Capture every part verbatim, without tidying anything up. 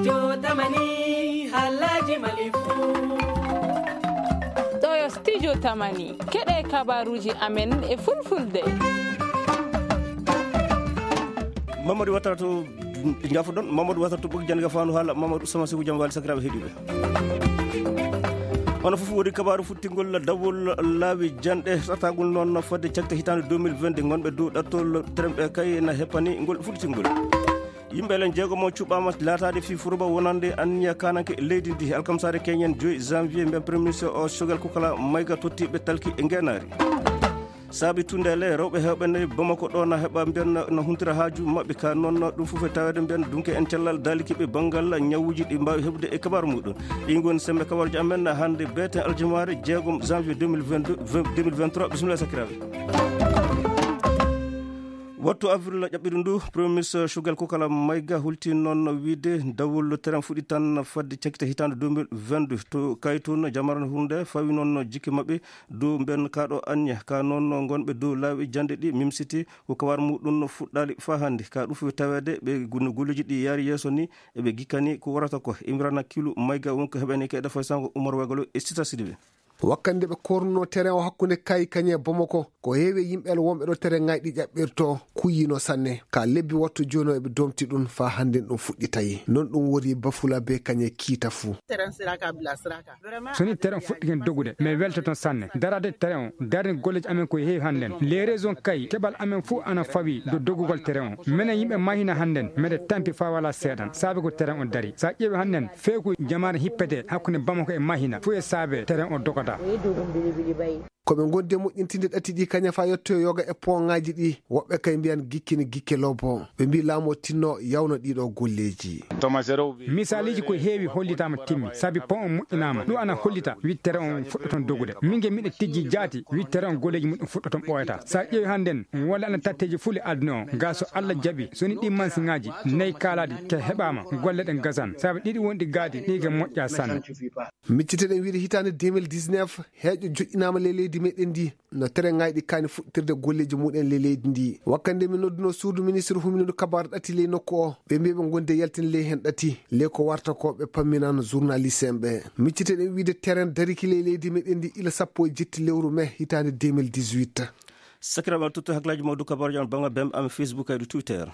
Yo tamani halaji malifu. Ɗo yo studio tamani. Keɗe kabaruji amen e fulfulde. Mamadou Watara to, jafoɗon, Mamadou Watara to ɓogi jannga fandu haala, Mamadou Sama Seku jam wali sakiraɓe heɗiɓe. Ono fof woni kabaru futtingol dawol laawi janɗe, satagol noon fodde cakte hitande deux mille vingt-deux, gonɓe dow ɗattol teremɓe kay na heppani ngol futtingol. Yimɓe len jeegomo cuɓɓama laataade fii furuba wonande anniya kananke leydi ndi. Alkamsare keñen joyi janvier, mbiyan premier ministre o Choguel Kokala Maïga tottiɓe talki e ngenaari. Saabi tundeele rewɓe heewɓe nayi Bamako ɗo na heɓa mbiyan na huntira haaju maɓɓe ka noon ɗum fof e taweede mbiyan dunke en cellal daalikiɓe banngal ñawuuji ɗi mbaawi heɓude e kabaru muɗum. Ɗi ngoni sembe kabaruji amen hannde beeten aljumare jeegom janvier deux mille vingt-deux, deux mille vingt-trois. Bisimilla sakiraaɓe. Wattu avril ƴaɓɓiɗo ndu, Premier Ministre Choguel Kokala Maïga hulti noon wiide dawol terrain fuɗɗi tan fadde cakkite hitaande deux mille vingt-deux. To Kaytun, jamara hunde fawi noon jikke maɓɓe dow mben kaɗo anniya. Ka noon gonɓe dow laawi jande ɗi mimsiti ko kawar muɗum fuɗɗali fa hannde. Ka ɗum fof taweede ɓe gunno golleji ɗi yaari yeeso ni eɓe gikkani ko warata ko. Imrana Kilu Maïga wonko heɓani kayɗa fay sango Umar Wagalo e Sita Sidibe. Wakkande ɓe kornuno terrain o hakkunde Kay Kañe Bamako, ko heewi e yimɓe wonɓe ɗo terrain ŋayɗi ƴaɓɓirto kuyino sanne. Ka lebbi wattu jooni o eɓe domti ɗum fa hannde ɗum fuɗɗi tawi. Noon ɗum woni Bafula be Kañe kiita fuu. Terrain siraka bila siraka. So ni terrain fuɗɗi ken dogude, mais weltoton sanne. Darade terrain o, darde golleji amen ko heewi hannden. Les raisons Kay, keɓal amen fuu ana fawi do dogugol terrain o. Menen yimɓe Mahina hannden, meɗe tampi fa wala seeɗan, saabe ko terrain o dari. Sa ƴeewi hannden, feeku jamaare hippete hakkunde Bamako e Mahina, fuu e saabe terrain o dogata. Ko ɓe ngondi e moƴƴintinde ɗatti ɗi kaña fa yettoyo yoga e pont ŋaaji ɗi, woɓɓe kay mbiyan gikke ne gikke lobbo. Ɓe mbi laamu o tinno yawna ɗiɗo golleji. Misaliji ko heewi hollitama timmi, sabi pont o moƴƴinama. Ɗum ana hollita wittere on fuɗɗoton dogude. Min ge miɗo tijji jaati wittere on golleji muɗum fuɗɗoton ɓooyata. Sa ƴeewi hannden, walla ana tatteji fuu le aduna o. Ga so Allah jaɓi, so ni ɗi mansiŋaaji nayi kaalaɗi ke heɓama, golle ɗen gasan. Sabi ɗiɗi wonɗi gaadi, ɗi ge moƴƴa sanne. Micciteɗen wiide hitaande deux mille dix-neuf, heeƴo joƴƴinaama ley leydi meɗen ndi, no terrain ŋayɗi kaani fuɗɗirde golleeji muɗen ley leydi ndi. Wakkande min nodduno suudu ministre humindu kabaru ɗati ley nokku o, ɓe mbi ɓe ngondi e yaltinde ley hen ɗati, ley ko warta ko ɓe pamminan journaliste en ɓe. Micciteɗen wiide terrain dariki ley leydi meɗen ndi ila sappo e jetti lewru mai hitaande deux mille dix-huit. Sakiraaɓe, tutto hakkilaaji mawɗo kabaruuji am banngal bembe am Facebook e Twitter.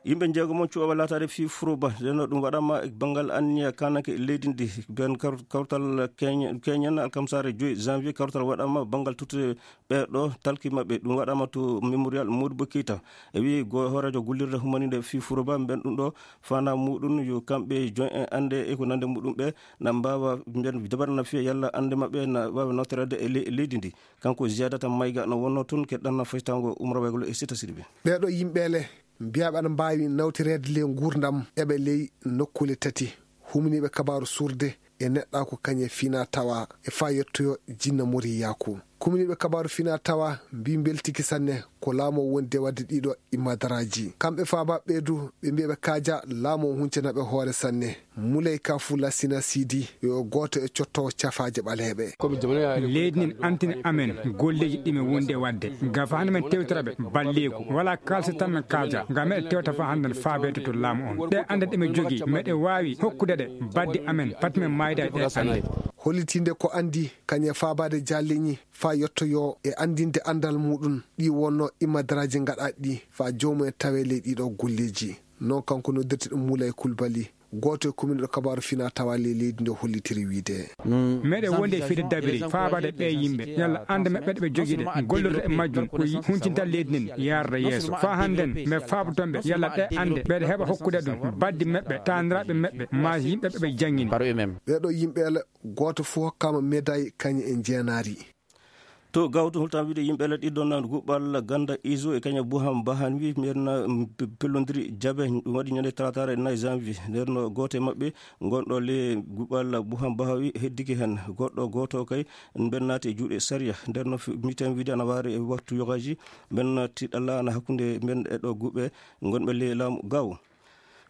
Yimɓe jeegomo cuɓaɓe laataade fii furuba, ndeno ɗum waɗama e banngal anniya kananke leydi ndi, ben kar-, kawtal keñe-, keñen alkamsare joyi janvier, kawtal waɗama banngal tuttude ɓeeɗo talki maɓɓe, ɗum waɗama to Mémorial Modibo Keita. E wi go hooreejo gollirde humaninde fii furuba, mben ɗum ɗo fana muɗum yo kamɓe join en annde e ko nande muɗum ɓe na mbaawa mbiyan dabar na fiya yalla annde maɓɓe na waawa nawtorede e le-, leydi ndi. Kanko Ziyadata Mayga no wonno toon, keɗɗan na faytango Umar Waygol e Sita Sidibé. Ɓeeɗo yimɓe le mbiyaɓe ana mbaawi nawtireede le nguurndam eɓe ley nokkuule tati, humniiɓe kabaaru surde e neɗɗaaku kañe fina tawa e faa yettoyo jinna moriyaaku. Kumniiɓe kabaaru fina tawa mbi mbeltiki sanne ko laamu o wondi e waɗde ɗiɗo imadaraaji. Kamɓe faabaaɓe ɓee du, ɓe mbiya ɓe kaaja laamu o huncana ɓe hoore sanne. Muley Kafu Lassina Sidi yo gooto e cotto cafaaje ɓaleeɓe. Leydi nin antini amen golleeji ɗi men wondi e waɗde. Ga fahande men tewtira ɓe balleeku. Wala kaalsi tan men kaaja. Ga meɗe tewta fa hannden faabeede to laamu on. Ɗe annde ɗe men jogii, meɗe waawi hokkude ɗe baddi amen. Fati men maayda e ɗe annde. Hollitinde ko anndi kañe faabaade jaalleñi faa yottoyoo e anndinde anndal muɗum ɗi wonno imadaraaji gaɗaaɗi ɗi faa joomumen tawee ley ɗiɗo golleeji. Non kanko noddirte ɗum Moulay Koulibaly, gooto e kuminiiɗo kabaaru fina tawa ley leydi nde hollitiri wiide. Meɗe wondi e fide dabiri faabaade ɓee yimɓe, yalla annde maɓɓe ɗe ɓe jogii ɗe, gollirde e majjum ko yi-, huncinta leydi nden yaarde yeeso. Faa hannden, mbe faaboton ɓe, yalla ɗe annde, mbeɗe heɓa hokkude ɗum baddi maɓɓe, taaniraaɓe maɓɓe, maa yimɓe ɓe ɓe janngini. Ɓeeɗo yimɓe ele gooto fof hokkaama médaille kañe e njeenaari. To Gawto, holtan wiide yimɓe ele ɗiɗon nan guɓɓal ganda iso e kaña Buham Bahan wi mbiyen na, mm, pe-, pellondiri jabe, ɗum waɗi ñande talaataare nay janvier. Nder no gooto e maɓɓe gonɗo le guɓɓal Buham Bahawi heddiki hen. Goɗɗo gooto kay mben naati e juuɗe sariya. Nder no fi-, miten wiide ana waare e waktu yogaji mben tiɗalla ana hakkunde mben e ɗo guɓɓe gonɓe le laamu Gawo.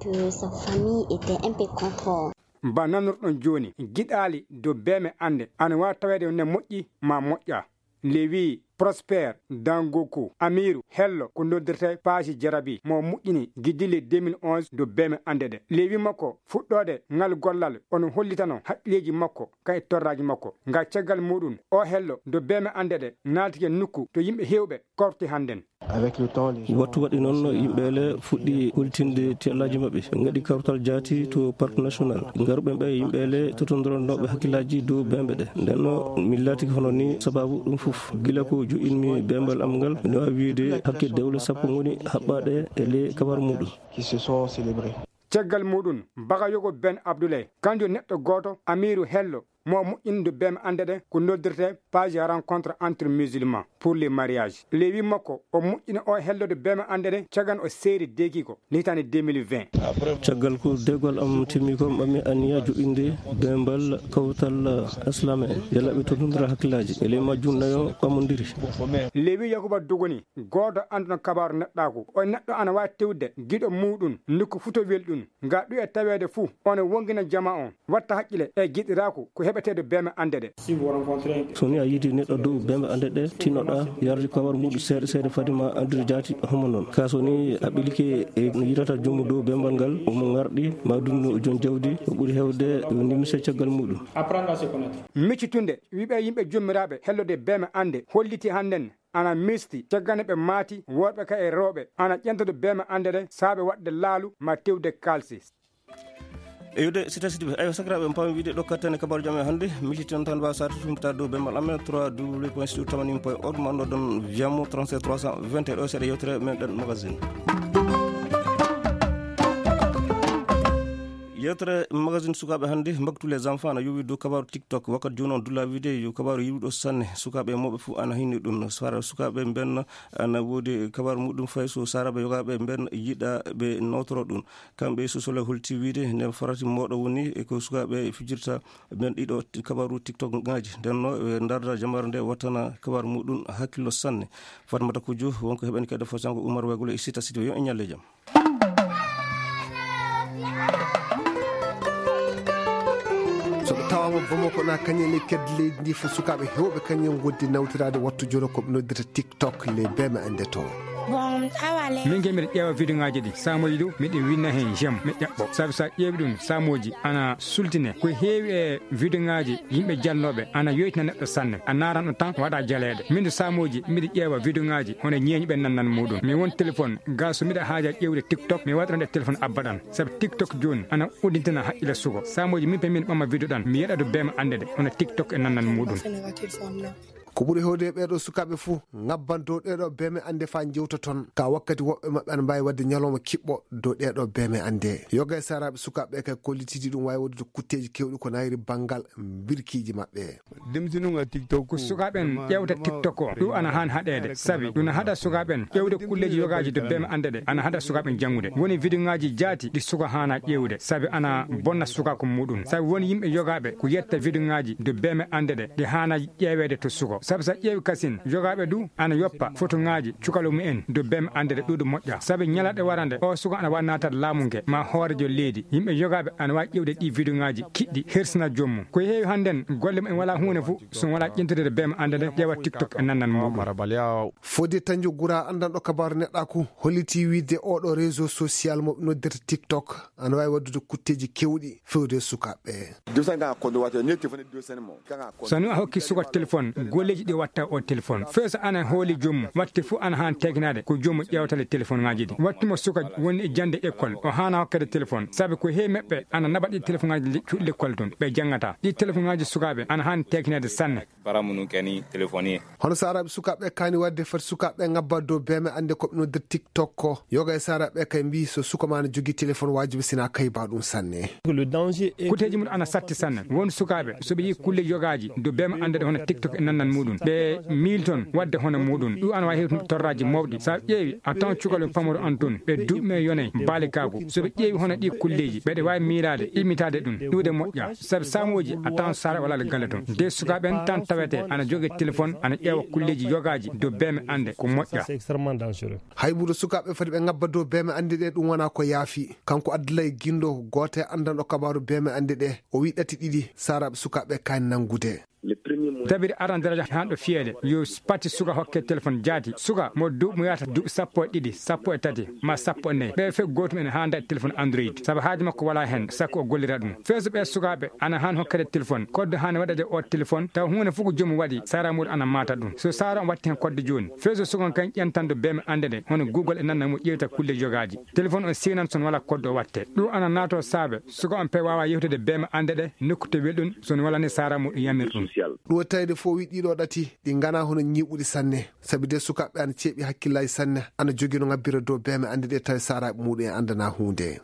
Que sa famille était un peu contre. Ba nanurɗon jooni, giɗaali dow beeme annde ana waawi taweede ne moƴƴi ma moƴƴa. Lewi Prosper Dangoku Amiru Hello ko noddirte Paaji Jarabi mo moƴƴini giddi le deux mille onze dow beeme annde ɗe. Lewi makko fuɗɗoode ngal gollal ono hollitano haqqilleeji makko ka e torraaji makko. Nga caggal muɗum o Hello dow beeme annde ɗe naatike nokku to yimɓe heewɓe korti hannden. Avec le temps, les gens Wattu waɗi noon, yimɓe le fuɗɗi hollitinde tiyallaaji maɓɓe. Ɓe ngaɗi kawtal jaati to parc national. Ngaruɓe ɓe yimɓe le totondironooɓe hakkillaaji dow beembe ɗe. Nden no mi laatiki hono ni sababu ɗum fof. Gila ko jo'inmi beembal am ngal, mi waawi wiide hakke dewle sappo ngoni haɓɓaaɗe e le kabar muɗum. Qui se sont célébrés. Caggal muɗum, Bagayogo Ben Abdoulaye, kanjo neɗɗo gooto, Amiru Hello, mo moƴƴinde beeme annde ɗe ko noddirte Page Rencontre entre Musulmans pour les Mariages. Lewi makko, o moƴƴina o hellodo beeme annde ɗe, cagan o seeri deekiko, ni hitaande deux mille vingt. Caggal ko deegol am timmi ko, mbaɗmi aniya joɗɗinde beembal kawtal Islam en, yalla ɓe tottondira hakkillaaji. E ley majjum nayo ɓamondiri. Lewi Yakuba Dogoni, gooto annduno kabaaru neɗɗaaku. O neɗɗo ana waawi tewde giɗo muuɗum, nokku fuu to welɗum. Nga ɗuya taweede fuu, ono wongina jamaa on, watta haqqile e giɗiraaku ko heɓeteeɗo beeme annde ɗe. So ni a yiidi neɗɗo dow beembe annde ɗe, tinnoɗaa yarde kawar muɗum seeɗa seeɗa fade ma anndude jaati homo noon. Ka so ni a ɓilike e no yidata joomu dow beembal ngal, omo ngarɗi, ma ɗum no joom jawdi, o ɓuri heewde o nimsa caggal muɗum. Miccitunde, wiɓe yimɓe jommiraaɓe hellode beeme annde, holliti hannden ana misti, caggal nde ɓe maati, worɓe ka e rewɓe, ana ƴentodo beeme annde ɗe, saabe waɗde laalu ma tewde kaalsi. Eyyo de, sita sidi ɓe. Eyyo, sakiraaɓe, en paami wiide ɗo kattane kabaaruuji amen hannde. Miccitinɗon tan mbaawa saatude humpitaade dow beembal amen, trois W point studio tamani point org, ma anndoɗon via mo trente-sept trois cent vingt et un, ɗo seeɗa yewtere men ɗen magazine. Yewtere magazine sukaaɓe hannde, Mbaktu les enfants, ana yowi dow kabaaru TikTok. Wakkati jooni on dulla wiide yo kabaaru yiwuɗo sanne. Sukaaɓe e mawɓe fof ana hinni ɗum. Sara sukaaɓe mben ana woodi kabaaru muɗum fay so saraɓe yogaaɓe mben yiɗa ɓe nawtoro ɗum. Kamɓe sosole holti wiide nden farati mawɗo woni e ko sukaaɓe fijirta ɓen ɗiɗo kabaaru TikTok ngaji. Nden no ɓe ndarda jamare nde wattana kabaaru muɗum hakkillo sanne. Fatmata Kujo wonko heɓani kadi fo sango Umar Wegolo e sita sidi yo en ñalle jam. So ɓe tawaama Bamako na kañum e ley kedde leydi ndi fof, sukaaɓe heewɓe kañum ngoddi nawtiraade wattu jono ko ɓe noddirta TikTok, les beme ande to. Min ke miɗa ƴeewa vidéo ngaji ɗi samoji ɗu miɗa winna hen j'aime mi ƴaɓɓo sabi sa ƴeewi ɗum samoji ana sultine ko heewi e vidéo ngaji yimɓe jalnoɓe ana yoytina neɗɗo sanne a naran ɗum tan waɗa jaleɗe min samoji miɗa ƴeewa vidéo ngaji hono ñeeñɓe nannan muɗum mi won téléphone ga so miɗa haaja ƴeewde TikTok mi waɗata nde téléphone abbaɗan sabi TikTok joni ana uddintina haqqille sugo samoji min pe min ɓamma vidéo ɗan mi yeɗa ɗo bema ande ɗe hono TikTok e nannan muɗum. Ko ɓuri hewde e ɓeeɗo sukaaɓe fuu ngabban dow ɗeeɗo beme annde faa njewta toon ka wakkati woɓɓe maɓɓe ana mbaawi waɗde ñalawma kiɓɓo dow ɗeeɗo beme annde yoga e saraaɓe sukaaɓe ɓe kay kollitidi ɗum waawi waɗude kutteeji keewɗi ko nayri banngal mbirkiiji maɓɓe. Ko sukaaɓe en ƴeewta TikTok o ɗum ana haan haɗeede sabi ɗum haɗa sukaaɓe en ƴeewde kulleeji yogaaji dow beme annde ɗe ana haɗa sukaaɓe en janngude woni vidéo ngaaji jaati ɗi suka haana ƴeewde sabi ana bonna sukaaku muɗum sabi won yimɓe yogaaɓe ko yetta vidéo ngaaji dow beme annde ɗe ɗi haana ƴeeweede to suko sabu so ƴeewi kasin yogaaɓe du ana yoppa fotoŋaaji cukalo mumen dow beme annde ɗe ɗuuɗo moƴƴa sabu ñalaɗe warande o suko ana wawi natat laamu nge ma hoorejo leydi yimɓe yogaaɓe ana wawi ƴewde ɗi vidéo ngaaji kiɗɗi hersina jommum ko heewi hannden golle mumen wala huunde fof so wala ƴentede beme annde ɗe ƴeewa TikTok e nannan muɗum. Fodde Tanjo Gura anndanɗo kabaaru neɗɗaaku holliti wiide oɗo réseau social mo ɓe noddirta TikTok ana waawi waɗdude kutteeji keewɗi fewde sukaaɓe. Dosen ka koddo wata ne tefone dosen mo. So ni a hokki suka téléphone golleeji ɗi watta o téléphone fewso ana hooli joomum watte fof ana haan tegnade ko joomum ƴeewtale téléphone ngaji ɗi wattimo suka woni e jande école o haana hokkede téléphone sabi ko heewi meɓɓe ana naɓa ɗi téléphone ngaji cuɗi l'école toon ɓe janngata ɗi téléphone ngaji sukaaɓe ana haan tegnade sanne. Para munu keni telefoni. Hono saaraaɓe sukaaɓe kaani waɗde fati sukaaɓe ngabba dow beeme annde ko ɓe noddir TikTok ko yoga e saaraaɓe kay mbii so suka ma na jogii téléphone waajibi sina kayba ɗum sanne. Kuteeji mum ana satti sanne won sukaaɓe so ɓe yii kulle yogaaji dow beeme annde ɗe hono TikTok e nannan muɗum ɓe miilton waɗde hono muɗum ɗum ana waawi hewtude torraaji mawɗi so a ƴeewi a tawan cukalɓe pamaro an toon ɓe duuɓi me yonay baalikaagu so ɓe ƴeewi hono ɗi kulleeji ɓeɗe waawi miilaade immitaade ɗum ɗuuɗe moƴƴa sabi saamooji a tawan saara wala galle toon de sukaaɓe en tan tawete ana joge téléphone ana ƴeewa kulleeji yogaaji dow beeme annde ko moƴƴa. Hay ɓuuɗo sukaaɓe foti ɓe ngabba dow beeme annde ɗe ɗum wona ko yaafi kanko Abdoulaye Guindo gooto e anndanɗo kabaaru beeme annde ɗe o wi ɗati ɗiɗi saaraaɓe sukaaɓe kaani nanngude. Dabiri aran daraja han ɗo fiyeede yo pati suka hokke téléphone jaati suka mo duuɓi mo yahata duuɓi sappo e ɗiɗi sappo e tati ma sappo e nayi ɓe fof gootum en haa daɗi téléphone android sabu haaji makko wala heen sakko o gollira ɗum feeso ɓe sukaaɓe ana haan hokkede téléphone kodde haan waɗede o téléphone taw huunde fof ko joomum waɗi sara muɗum ana maata ɗum so sara on watti heen kodde jooni feeso sukan kan ƴentande beeme annde ɗe hono google e nanna mo ƴeewta kulle yogaaji téléphone on siwnan son wala kodde o watte ɗum ana naato saabe suka on pe waawa yewtude beema annde ɗe nokku to welɗum so no walani saara muɗum yamir ɗum. Ɗum e tawde fof wi ɗiɗo ɗati ɗi ngana hono ñiiɓuɗi sanne sabi de sukaaɓe ana ceeɓi hakkillaaji sanne ana jogii no ngabbira dow beeme annde ɗe tawi saaraaɓe muɗum e anndana huunde.